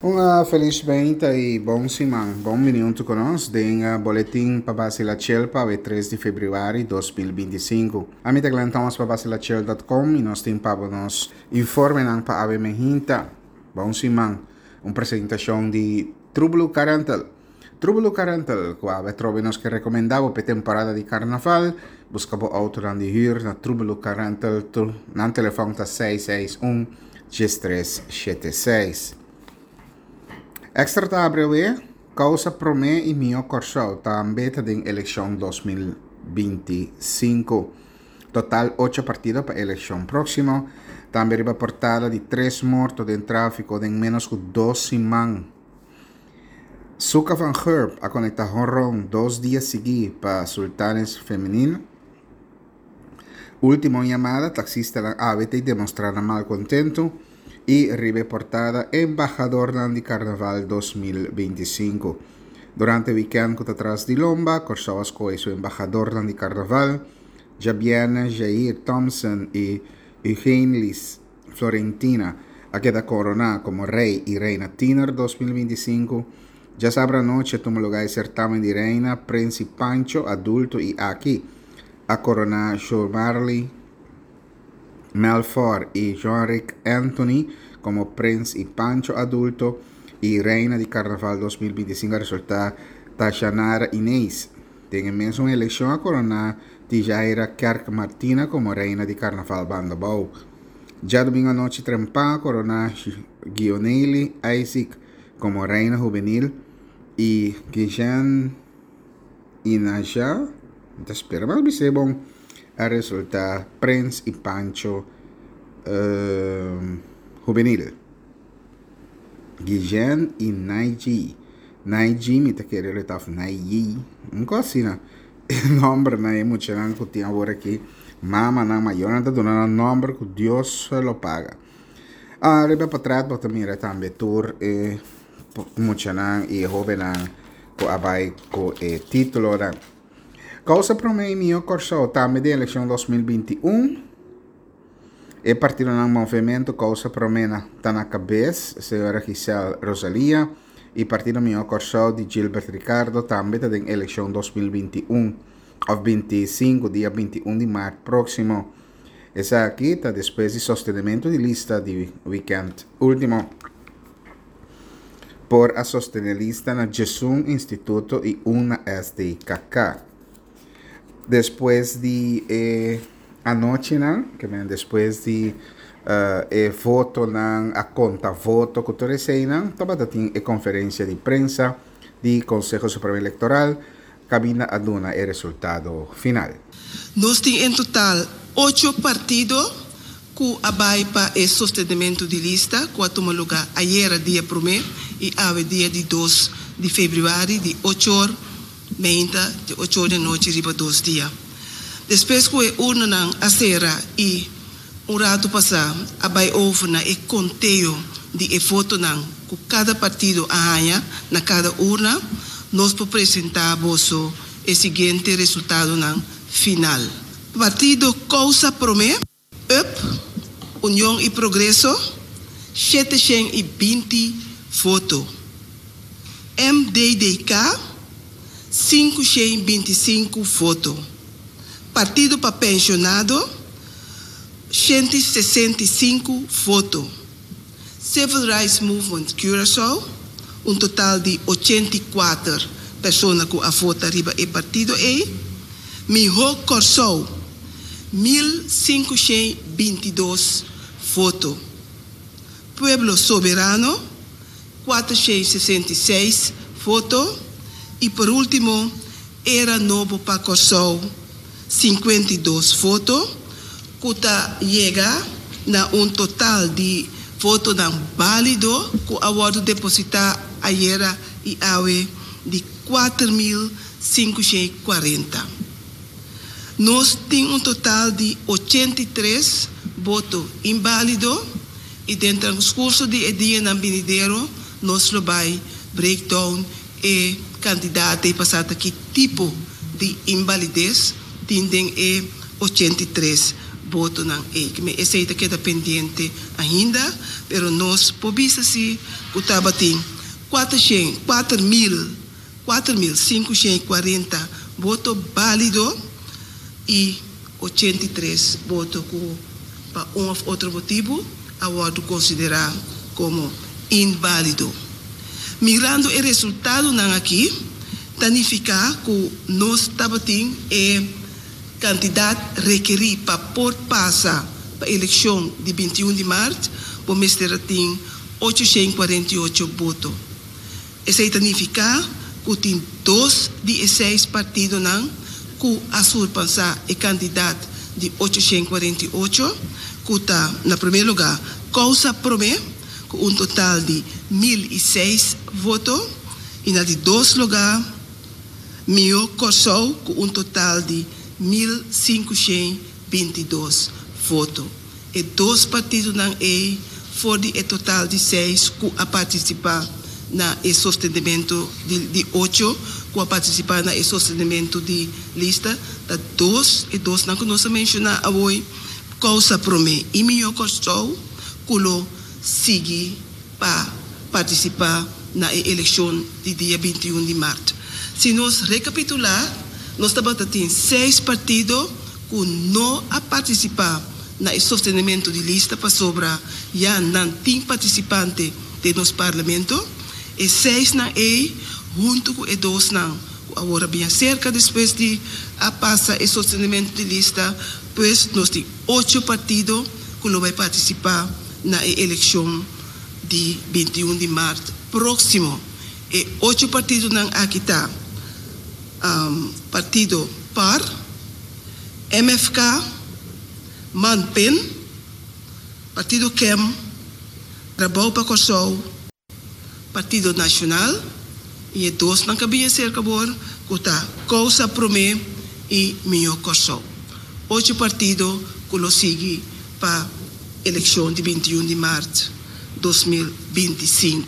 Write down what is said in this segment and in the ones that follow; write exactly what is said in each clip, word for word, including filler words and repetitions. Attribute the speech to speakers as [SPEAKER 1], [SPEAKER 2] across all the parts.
[SPEAKER 1] Un felis mainta i bon siman. Bon bini ku nos den boletin pa Basila Chel pa tres di febrüari di dos mil binti i sinku. Ami ta Glenn Thomas pa basilachel punto com i nos tin pa nos informenan pa awe mainta. Bon siman. Un presentashon di Trublu Carental. Trublu Carental, ku awe trobe nos ke rekomendá pa temporada di karnaval. Buska bo outo di hür na Trublu Carental. Nan telefòn ta seis seis un, tres shete seis. Extra ta breve, Kousa Promé i Mihó Kòrsou tambe ta den elekshon dos mil binti i sinku. Total ocho partido pa elekshon próksimo. Tambe riba portada di tres morto den tráfiko den ménos ku dos siman. Suka van Herp a konektá honron dos dia siguí pa Sultanes Femenino. Último llamada, taxista A B T demostrá mal contento. I riba portada, embahador di Karnaval dos mil binti i sinku. Durante weekend ku ta tras di lomba, Kòrsou a skohe su embahador di Karnaval, Jabiana Jair Thompson i Eugenlis Florentina, a keda koroná komo rei i reina tiener dos mil binti i sinku. Djasabra anochi a tuma lugá e sertamen di reina, Prins i Pancho, adulto i aki a koroná Jomarley Melfor i Jean-Ric Anthony komo Prins i Pancho adulto i reina di Karnaval dos mil binti i sinku a resultá Tashanara Inés. Den e mesun elekshon a koroná Tijaira Kerk Martina komo reina di Karnaval Bandabou. Djadumingu anochi trempan a koroná Gioneli Isaac komo reina juvenil i Guijen Inaja, ta spera mas bisé bon, a resultá Prins i Pancho, eh, juvenil. Guijen i Naiji. Naiji mi ta kere lo taf Naiji. Un kos asina. E nòmber na e muchanan ku tin awor aki. Mama nan mayornan ta duna nan nòmber ku Dios lo paga. Ah, riba portret bo ta mira tambe tur e muchanan i e hóbennan ku a bai ku e títulonan. Kousa Promé i Mihó Kòrsou tambe den elekshon dos mil binti i un. E partidonan Movementu Kousa Promé na ta na kabes, señora Giselle Rosalia, i Partido Mihó Kòrsou di Gilbert Ricardo tambe ta den elekshon dos mil binti i un òf binti i sinku, dia binti i un di mart próksimo. Esaki ta despues di sostenementu di lista di wikènt último. Por a sostené lista na diesun instituto i un na S D K K. Despues di e anochinan, ke men despues di, eh, e votonan, a konta voto ku tur eseinan, tabata tin e konferensia di prensa di Konseho Supremo Elektoral, kaminda a duna e resultado final.
[SPEAKER 2] Nos tin en total ocho partido ku a bai pa e sostenementu di lista, ku a tuma lugá ayera dia promé i awe dia di dos di febrüari di ocho or mainta di ocho or di anochi riba dos dia. Despues ku e urnanan a sera i un ratu pasá a bai over na e konteo di e votonan ku kada partido a haña na kada urna, nos por presentá boso e siguiente resultadonan final. Partido Kousa Promé, U P, Union i Progreso, shete shen i binti voto. M D D K, sinku shen binti sinku voto. Partido pa Pensionado, shente sesenta i sinku voto. Civil Rights Movement Curaçao, un total di ochenta i kuater persona ku a vota riba e partido ei. Mihó Kòrsou, mil sinku shen binti dos voto. Pueblo Soberano, kuater shen sesenta i seis voto. I por último, Era Nobo pa Kòrsou, sinkuenta i dos voto, ku ta yega na un total di votonan válido ku a wòrdu depositá ayera i awe di kuater mil sinku shen kuarenta. Nos tin un total di ochenta i tres voto inválido i den transcurso di e dianan binidero nos lo bai breakdown e kantidat e pasata ki tipo di invalidez tin den e ochenta i tres Votonan ei. Ke men esei ta keda pendiente ainda, pero nos por bisa si ku tabatin kuater kuater mil, kuater mil sinkushen i kuarenta voto bálido i ochenta i tres voto ku pa un òf otro motibu a wòrdu konsiderá komo inválido. Mirando e resultadonan aki, ta nifiká ku nos tabatin e kantidat rekerí pa por pasa pa elekshon di binti un di mart, bo mester a tin ocho shen kuarenta i ocho boto. Esei ta nifiká ku tin dos di e seis partidonan ku a surpasá e kantidat di ocho shen kuarenta i ocho, ku ta na promé lugá Kousa Promé ku un total di mil i seis voto i na di dos lugá Mihó Kòrsou ku un total di mil sinkushen binti dos voto. E dos partidonan ei for di e total di seis ku a partisipá na e sostenementu di di ocho ku a partisipá na e sostenementu di lista, ta dos, e dosnan ku nos a menshoná awor, Kousa Promé i Mihó Kòrsou, ku lo sigui pa partisipá na e elekshon di dia binti un di mart. Si nos rekapitulá, nos tabata tin seis partido ku no a partisipá na e sostenementu di lista pasobra ya nan tin partisipante den nos parlamento. E seisnan ei huntu ku e dosnan ku awor a bin aserka despues di a pasa e sostenementu di lista, pues nos tin ocho partido ku lo bai partisipá na e elekshon di binti un di mart próksimo. E ocho partidonan aki ta Partido par, M F K, Man Pen, Partido K E M, Trabou pa Kòrsou, Partido Nashonal i e dosnan ku a bin aserka awor ku ta Kousa Promé i Mihó Kòrsou. Ocho partido ku lo sigui pa elekshon di binti un di mart dos mil binti sinku.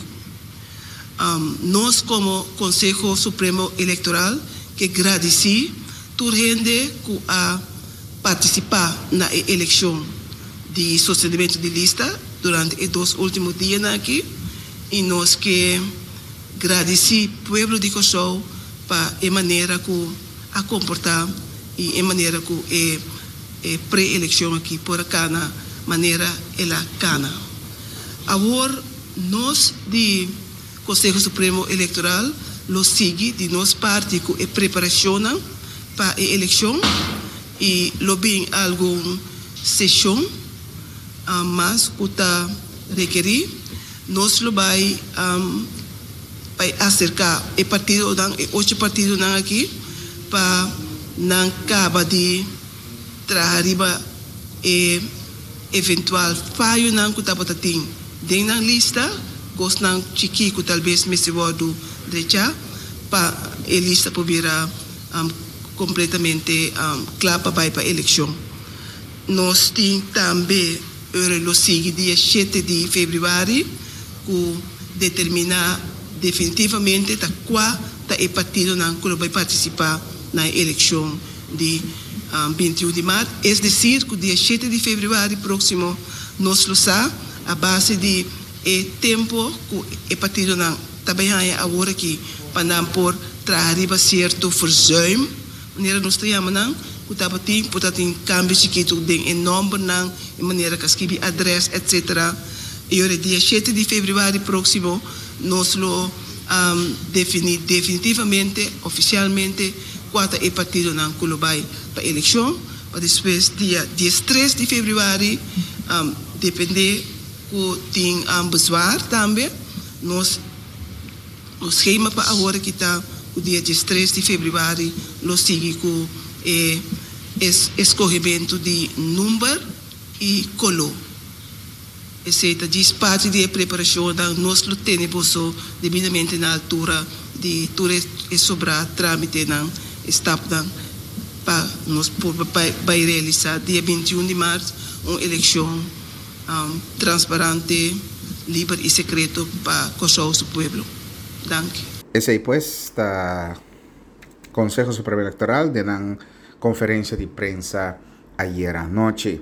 [SPEAKER 2] Nos komo Konseho Supremo Elektoral ke gradisí tur hende ku a partisipá na e elekshon di sostenementu di lista durante e dos último dianan aki i nos ke gradisí pueblo di Kòrsou pa e manera ku a komportá i e manera ku e e pre-elekshon aki por a kana manera el a kana. Awor nos di Konseho Supremo Elektoral lo sigui di nos parti ku e preparashonnan pa e elekshon i lo bin algun seshon mas ku ta rekerí. Nos lo bai bai aserká e partidonan, e ocho partidonan aki pa nan kaba di traha riba e eventual fayonan ku tabata tin den nan lista, kosnan chikí ku talbes mester wòrdu drechá pa e lista por bira kompletamente kla pa bai pa elekshon. Nos tin tambe ora lo sigui dia shete di febrüari ku determiná definitivamente ta kua ta e partidonan ku lo bai partisipá na e elekshon di binti un di mart. Es desir ku dia shete di febrüari próksimo nos lo sa a base di e tempu ku e partidonan ta bai haña awor aki pa nan por traha riba sierto verzuim, manera nos ta yama nan, ku tabatin, por ta tin kambio chikitu den e nòmbernan, e manera ku a skibi adrès, etsetera. I ora dia shete di febrüari próksimo nos lo definí definitivamente, ofisialmente, kua ta e partidonan ku lo bai pa elekshon, pa despues dia diestres di febrüari, dependé ku tin bezwaar tambe, nos nos skema pa awor aki ta ku dia diestres di febrüari lo sigui ku e eskohementu di number i koló. Esei ta djis parti di e preparashonnan. Nos lo tene boso debidamente na altura di tur e sobrá trámitenan, e stapnan pa nos por bai realisá dia binti un di mart un elekshon transparante, liber i sekreto pa Kòrsou su pueblo. Danki.
[SPEAKER 1] Esei pues ta Konseho Supremo Elektoral den nan konferensia di prensa ayera nochi.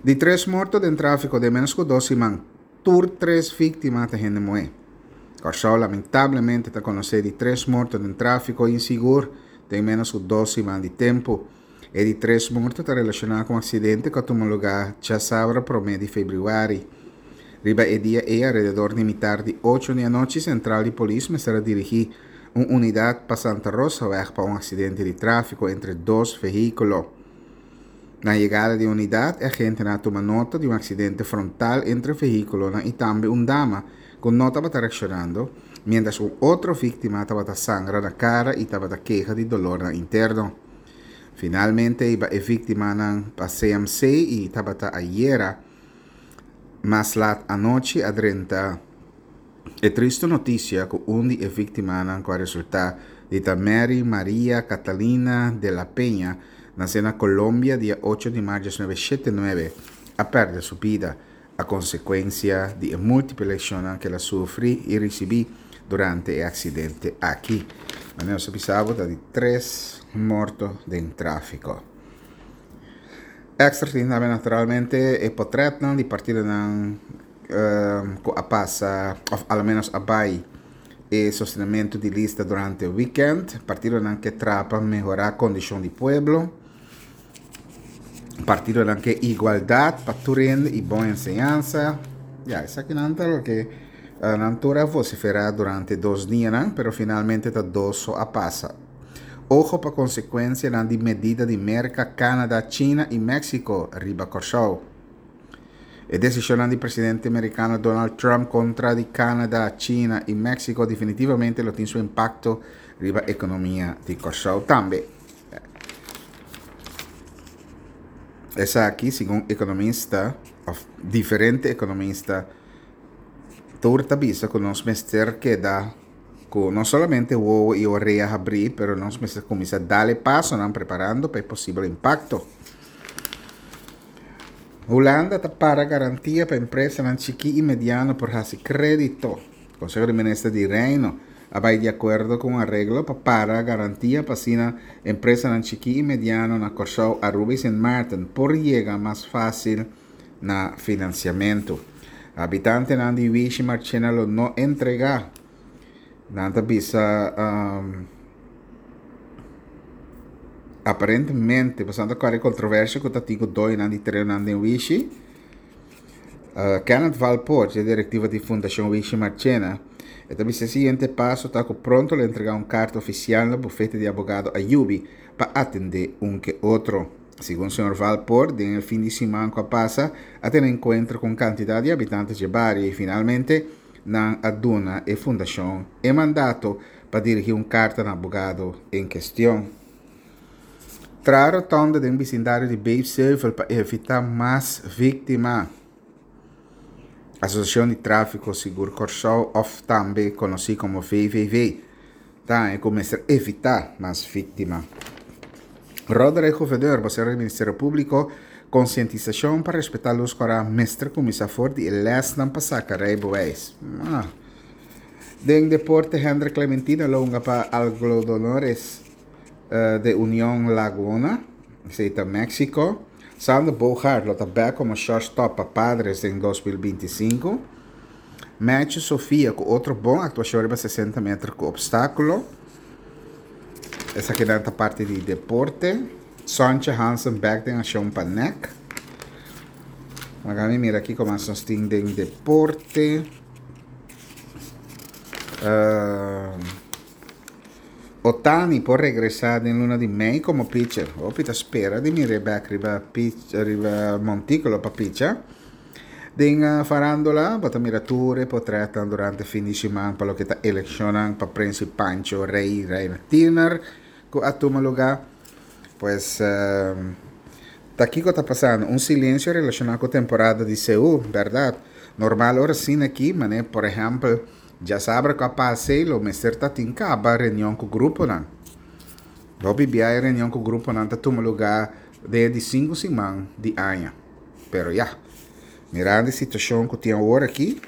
[SPEAKER 1] Di tres morto den tráfiko den ménos ku dos siman, tur tres víktima ta hende muhé. Kòrsou lamentablemente ta konosé di tres morto den tráfiko insigur den ménos ku dos siman di tempu. E di tres morto ta relashoná ku un aksidente ku a tuma lugá djasabra promé di febrüari. Riba e dia ei alrededor di mitar di ocho di anochi sentral di polis mester a dirigí un unidat pa Santa Rosaweg pa un aksidente di tráfiko entre dos vehíkulo. Na yegada di e unidat e agentenan a tuma nota di un aksidente frontal entre vehíkulonan i tambe un dama ku no tabata reakshonando, miéntras un otro víktima tabata sangra na kara i tabata keha di dolornan interno. Finalmente a hiba e víktimanan pa C M C i tabata ayera mas lat anochi a drenta e tristu notisia ku un di e víktimanan ku a resultá di ta Mary Maria Catalina de la Peña, nasé na Colombia dia ocho di mart diesnuebe shete nuebe, a pèrdè su bida a konsekuensia di e múltiple leshonnan ku el a sufri i risibí durante e aksidente aki. Manera nos a bisa bo ta di tres morto den tráfiko. Extra tin tambe naturalmente e potretnan di partidonan ku a pasa òf alomenos a bai e sostenementu di lista durante weekend. Partidonan ke traha pa mehorá kondishon di pueblo. Partidonan ke igualdat pa tur hende i bon enseñansa. Ya, esakinan ta loke nan tur a vosiferá durante dos dianan, pero finalmente ta dos so a pasa. Ojo pa konsekuensianan di medida di Merka, Canada, China i Mexico riba Kòrsou. E desishonnan di presidente merikano Donald Trump kontra di Canada, China i Mexico definitivamente lo tin su impakto riba ekonomia di Kòrsou tambe. Esaki segun ekonomista òf diferente ekonomista tur ta bisa ku nos mester keda ku no solamente wowo i orea habrí pero nos mester kuminsá dal e pasonan preparando pa e posibel impakto. Hulanda ta para garantia pa empresanan chikí i mediano por hasi krédito. Konseho di Minister di Reino a bai di akuerdo ku un areglo pa para garantia pa asina empresanan chikí i mediano na Kòrsou, Aruba i Sint Maarten por yega mas fásil na finansiamentu. Habitantenan di Wishi Marchena lo no entregá. Nan ta bisa aparentemente pasobra ta kore kontroversia ku ta tin ku doñonan di terenonan den Wishi. Kenneth Valpoort, e direktiva di Fundashon Wishi Marchena, e ta bisa e siguiente paso ta ku pronto lo entregá un karta ofisial na bufete di abogado Ayubi pa atendé un ke otro. Segun señor Valpoort, den e fin di siman ku a pasa a tene enkuentro ku un kantidat di habitante dje bario i finalmente nan a duna e fundashon e mandato pa dirigí un karta na abogado en kestion. Traha rotonda den bisindario di Beefseuvel pa evitá mas víktima. Asosiashon di Tráfiko Sigur Kòrsou òf tambe konosí komo V V V ta haña ku mester evitá mas víktima. Roderick Gouverneur, bosero di Ministerio Públiko, Konsientisashon pa respetá lus kòrá mester kuminsá for di e lèsnan pa saka reibeweis. Ah. Den deporte Hendrik Clementina lo hunga pa Algodonores de Union Laguna, esei ta Mexico. Sander Bogaert lo ta bèk komo shortstop pa Padres den dos mil binti i sinku. Matthew Sofia ku otro bon aktuashon riba sesenta meter ku opstákulo. Esakinan ta parti di deporte. Sontje Hansen bèk den akshon pa N E C. Laga mi mira kiko mas nos tin den deporte. Uh, Ohtani por regresá den luna di mei komo pitcher. Hopi ta spera di mir'é bèk riba pitch, riba montíkulo pa picha. Den uh, farándula, bo ta mira tur e portretnan durante fin di siman pa loke ta elekshonnan pa Prins Pancho, Rey, Reina Tiener, ku a tuma lugá. Pues, uh, ta kiko ta pasando? Un silensio relashoná ku temporada di C U, berdat? Normal ora asina aki, mané, por ehèmpel, djasabra ku a pasa lo mester ta tin kaba reunion ku gruponan. Hopi bia e reunion ku gruponan ta tuma lugá den di sinku siman di aña. Pero ya, mirando e situashon ku tin awor aki,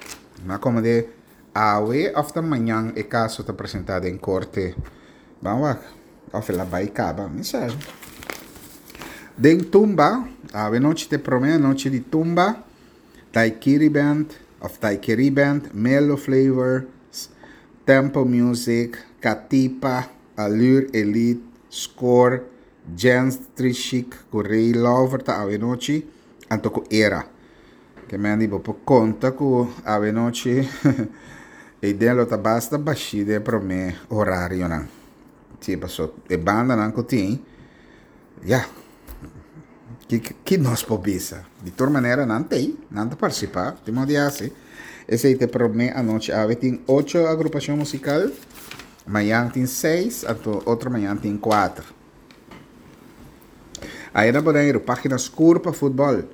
[SPEAKER 1] na komo de awe òf ta mañan e kaso ta presentá den korte. Ban wak, òf el a bai kaba, mi sa. Den Tumba, anochi ta e promé anochi di Tumba, Taikiri Band, of Taikiri Band, Melo Flavor, Tempo Music, Katipa, Allure Elite, Score, Jens Trishik, Ray Lover ta anochi, anto ku Era. Ke men bo por konta ku anochi e den lo ta basta bashí den promé orarionan. Si, paso e bandanan ku tin. Ja. Ku ku nos por bisa. Di tur manera nan tin, nan ta partisipá, tin un dia asina. Esei ta promé anochi awe tin ocho agrupashon musikal. Mañan tin seis, anto otro mañan tin kuater. Ei na Boneiru, página skur pa futbòl.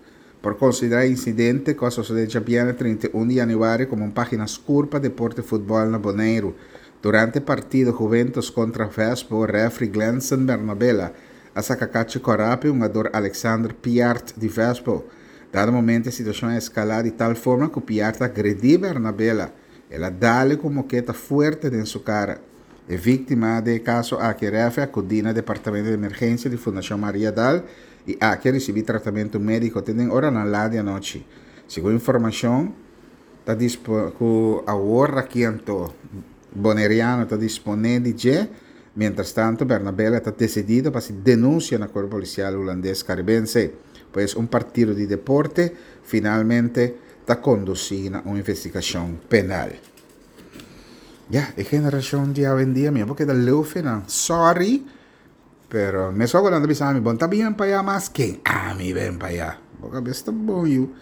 [SPEAKER 1] Por konsiderá insidente ku a sosodé djabièrnè trinta i un di yanüari komo un página skur pa deporte futbòl na Boneiru. Durante partido Juventus kontra Vespo, referee Glenson Bernabela a saka karchi kòrá pa hungadó Alexander Piart di Vespo. Dado momento, e situashon a eskalá di tal forma ku Piart a agredí Bernabela. El a dal e ku moketa fuerte den su kara. E víktima di e kaso aki referee a akudí na departamento di emergensia di Fundashon Mariadal i aki a risibí tratamentu médiko te oranan lat di anochi. Segun informashon, ta ku awor aki anto boneriano ta disponé di dje. Mientras tanto, Bernabela ta desidido pa denunsia na Kuerpo Polisial Hulandes Karibense. Pues un partido di deporte finalmente ta kondusí na un investigashon penal. Ja, e generashon di awendia, mi pasobra ta leu nan. Sorry, pero mi so ku bisa mi, bon, ta bin pa mas ken? Ami bin pa ya. Pasobra ta bon, yu.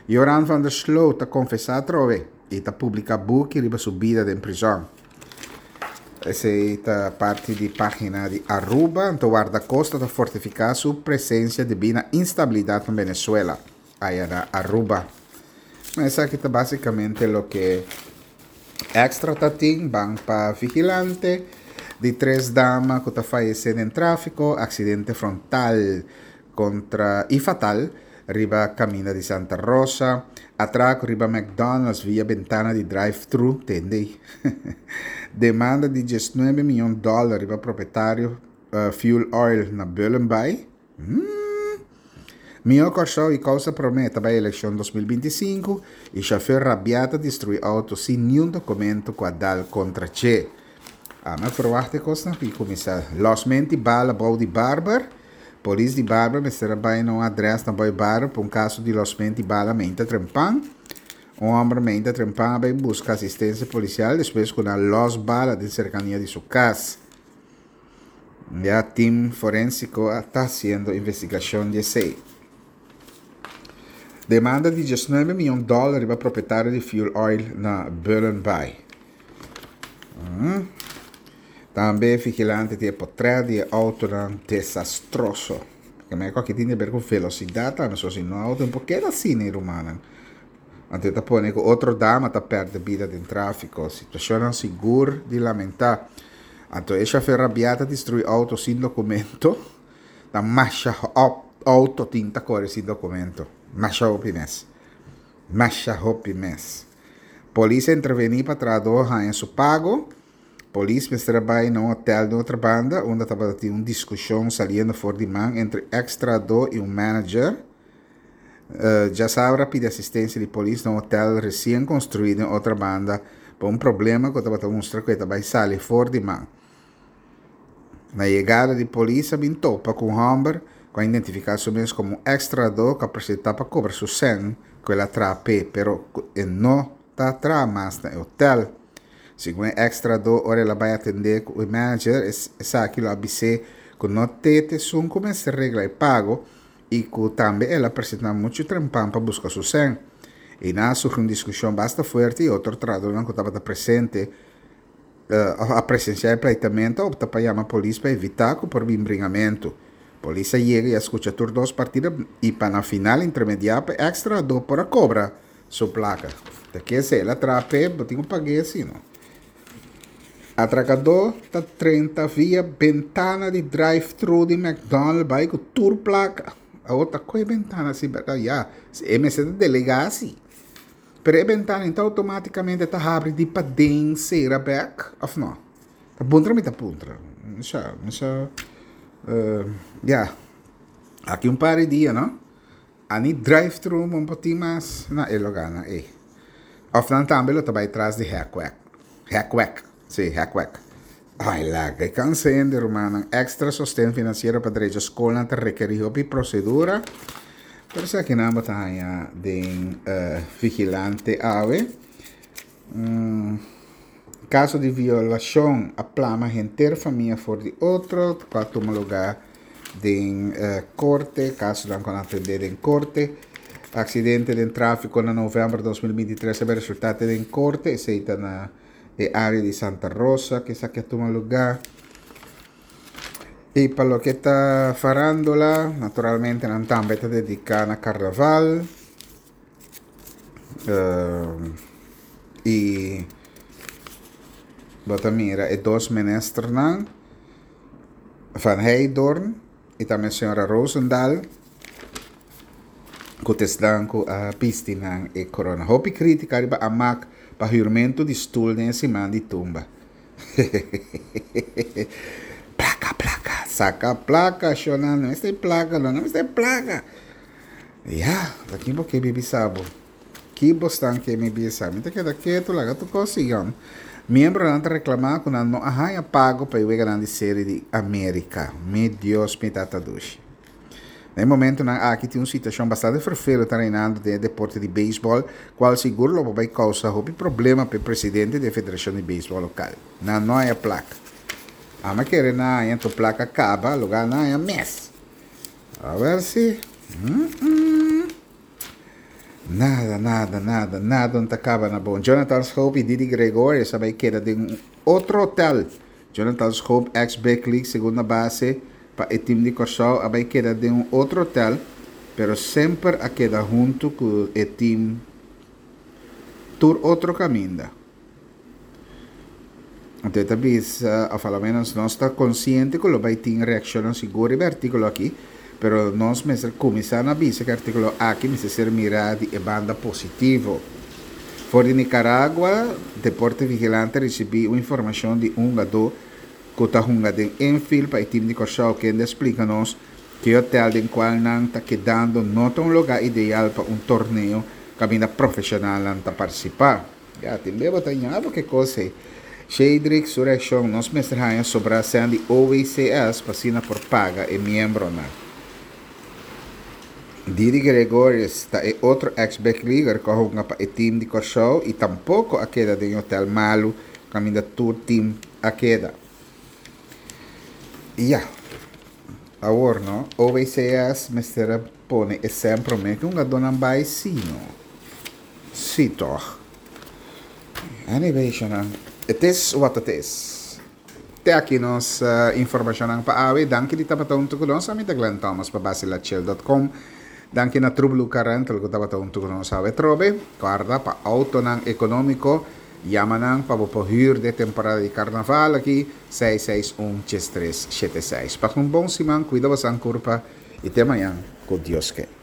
[SPEAKER 1] Joran van der Sloot ta konfesá atrobe i ta publiká buki riba su bida den prizòn. Esei ta parti di página di Aruba. Anto Wardakosta ta fortifiká su presensia debí na instabilidat na Venezuela. Ei na Aruba. Ma esaki ta básikamente loke Extra tatin, ban pa Vigilante, di tres dama ku ta fayesé den tráfiko, aksidente frontal kontra i fatal riba kaminda di Santa Rosa, atrako riba McDonald's via bentana di drive-thru, tende. Demanda di diesnuebe mion dòler riba propietario uh, Fuel Oil na Bullenbaai. Hmm. Mihó Kòrsou i Kousa Promé pa elekshon dos mil bintisinku i shofùr rabiá ta destruí outo sin ningun dokumento ku a dal kontra dje. Ah, ma verwacht ik kos nog kuminsá. Lòsment'i bala bou di Barber. Polis di Barber mester a bai na un adrès na bou Barber pa un kaso di lòsment'i bala mainta trempan. Un hòmber mainta trempan a bai buska asistensia polisial despues ku a lòs bala den serkania di su kas. Ya tim forensiko ta hasiendo investigashon di esei. Demanda di diesnuebe mion dòler pa propietario di Fuel Oil na Bullenbaai. Hum. Tambe Vigilante tin portrèt di outo desastroso. Ku mi aki tin di ber ku velosidat, ma so si no outo un poko asina, ruman. Anto ta pone ku otro dama ta pèrdè bida den tráfiko. Situashon sigur di lamentá. Anto e shofùr rabiá ta destruí outo sin dokumento. Ta masha outo tin ta kore sin dokumento. Masha hopi mes. Masha hopi mes. Polis a intervení pa trahadó haña su pago. Polis mester a bai na un hotèl di Otrobanda, unda tabatin un diskushon saliendo for di man entre èks-trahadó i un manager. Uh, djasabra a pidi asistensia di polis na un hotèl resien konstruí na Otrobanda pa un problema ku tabata mustra ku tabata sali for di man. Na yegada di polis, a bin topa ku un hòmber ku a identifiká su mes komo èks-trahadó ku a presentá pa kobra su sèn ku el a traha p'e, pero e no ta traha mas na hotèl. Segun e èks-trahadó, ora el a bai atendé ku e manager, esaki a bis'é ku no t'e esun ku mester regla e pago i ku tambe el a presentá muchu trempan pa buska su sèn. I nan a surgi un diskushon basta fuerte i otro trahadó ku tabata presente uh, a presensiá e pleitamentu, a opta pa yama polis pa evitá ku por bin bringamentu. Polis a yega i a skucha tur dos partido i pa na final intermediá pa e èks-trahadó por a kobra su plaka. Di ku si el a traha p'e, bo tin ku pag'é asina, no? Atrakadó ta drenta via bentana di drive-thru di McDonald's bai ku tur plaka. Otro ku bentana asina, ya, e mester delegá asina. Pero e bentana anto outomátikamente ta habri di paden sera bèk, òf no? Ta puntra mi ta puntra. Sa, sa, uh, ya. Aki un par di dia, no? Ani drive-thru un poquito mas na e lugá ei. Òf nan tambe lo ta bai tras di hèkwèk. Hèkwèk. Si, hèkwèk. Ai, laga, kansa hende, ruman. Extra sosten finansiero pa drecha skol ta rekerí hopi prosedura. Pero esaki nan bo ta haña den uh, Vigilante awe. Um, kaso di violashon a plama henter famia for di otro, pa tuma lugá den uh, korte, kaso nan ku atendé den korte. Aksidente di tráfiko na novèmber di dos mil bintitres a resultá den korte, esei ta na e área di Santa Rosa, ku esaki a tuma lugá. I pa loke ta farándula, naturalmente, nan tambe ta dediká na karnaval. Uh, i bo ta mira e dos ministernan, Van Heydoorn i tambe señora Rozendal, ku ta ku a bisti nan e korona. Hopi krítika riba Amak pa huurmentu di stul den siman di tumba. Plaka, plaka, saka plaka, shona, no ta plaka, no, no ta plaka. Ja, aki bo ke bibi sabo. Ki bostan ke mi bisa. Mi ta keda ketu, laga tur kos sigui. Miembronan ta reklamá ku nan no a haña pago pa e Grande Serie di Amérika. Mi Dios, mi tata dushi. Na momentonan aki tin un situashon bastante ferfelu ta reinando den deporte di beisbòl, kual sigur lo bai kousa hopi problema pa e presidente di Federashon di Beisbòl lokal. Nan no a haña plaka. Ami kere nan a haña plaka kaba, lugá nan a haña mes. A ber si. Mm -mm. Nada, nada, nada, nada no kaba na bon. Jonathan Schoop i Didi Gregorius a bai keda den otro hotel. Jonathan Schoop, ex-Big League, segunda base, pa e tim di Kòrsou, a bai keda den un otro hotel, pero semper a keda huntu ku e tim tur otro kaminda. Anto, talbes, òf al menos nos ta konsiente ku lo bai tin reakshon sigur e artíkulo aki, pero nos mester kuminsá na bisa ku e artíkulo aki mester ser mirá di banda positivo. For di Nicaragua, Deporte Vigilante a risibí un informashon di un hungadó ku ta hunga den infield pa e tim di Kòrsou, ku ta splika nos ku e hotel den kual nan ta kedando no ta un lugá ideal pa un torneo kaminda profeshonal ta partisipá. Ja, tin beba ta ñabo ke kos. Shadrick su reakshon: nos mester haña sobrá sèn di O W C S pa asina por paga e miembronan. Didi Gregorius ta e otro ex-big leaguer ku a hunga pa e tim di Kòrsou i tampoko a keda den hotel malu kaminda tur tim a keda. Ja, awor no, O W C S mester pone e semper me ku un dona bai si no. Si toch. Anyway, shana. Het is wat het is. Te aki nos uh, informashon pa awe. Danki di tabata huntu ku nos. Ami ta Glenn Thomas pa basilachel punto com. Danki na True Blue Car Rental ku tabata huntu ku nos awe trobe. Guarda pa outonan ekonómiko. Yama nan pa bo huur den temporada di karnaval aki seis seis un, tres tres shete seis. Pasa un bon siman, kuida bo kurpa i te mañan ku Dios ke.